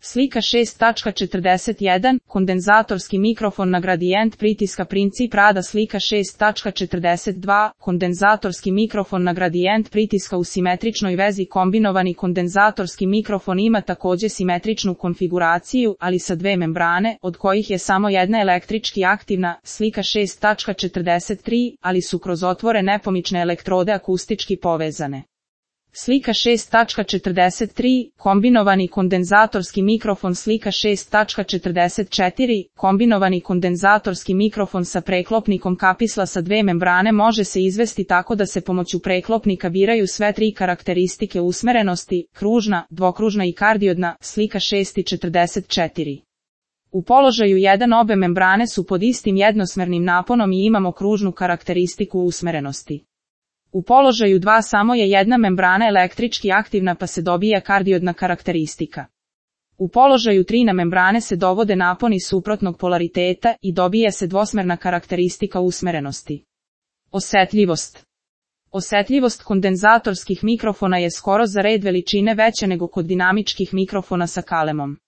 Slika 6.41, kondenzatorski mikrofon na gradijent pritiska princip rada. Slika 6.42, kondenzatorski mikrofon na gradijent pritiska u simetričnoj vezi. Kombinovani kondenzatorski mikrofon ima također simetričnu konfiguraciju, ali sa dve membrane, od kojih je samo jedna električki aktivna. Slika 6.43, ali su kroz otvore nepomične elektrode akustički povezane. Slika 6.43, kombinovani kondenzatorski mikrofon. Slika 6.44, kombinovani kondenzatorski mikrofon sa preklopnikom kapisla sa dve membrane može se izvesti tako da se pomoću preklopnika biraju sve tri karakteristike usmerenosti, kružna, dvokružna i kardiodna. Slika 6.44. U položaju 1 obe membrane su pod istim jednosmernim naponom i imamo kružnu karakteristiku usmerenosti. U položaju 2 samo je jedna membrana električki aktivna pa se dobija kardiodna karakteristika. U položaju 3 na membrane se dovode naponi suprotnog polariteta i dobija se dvosmerna karakteristika usmerenosti. Osetljivost. Osetljivost kondenzatorskih mikrofona je skoro za red veličine veća nego kod dinamičkih mikrofona sa kalemom.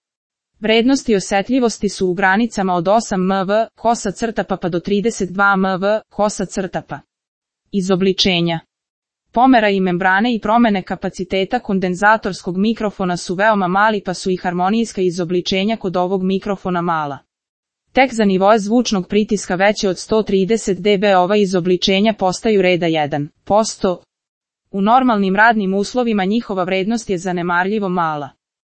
Vrednosti osetljivosti su u granicama od 8 mV, kosa crtapa pa do 32 mV, kosa crtapa. Izobličenja. Pomera i membrane i promene kapaciteta kondenzatorskog mikrofona su veoma mali pa su i harmonijska izobličenja kod ovog mikrofona mala. Tek za nivoe zvučnog pritiska veće od 130 dB ova izobličenja postaju reda 1%. U normalnim radnim uslovima njihova vrednost je zanemarljivo mala.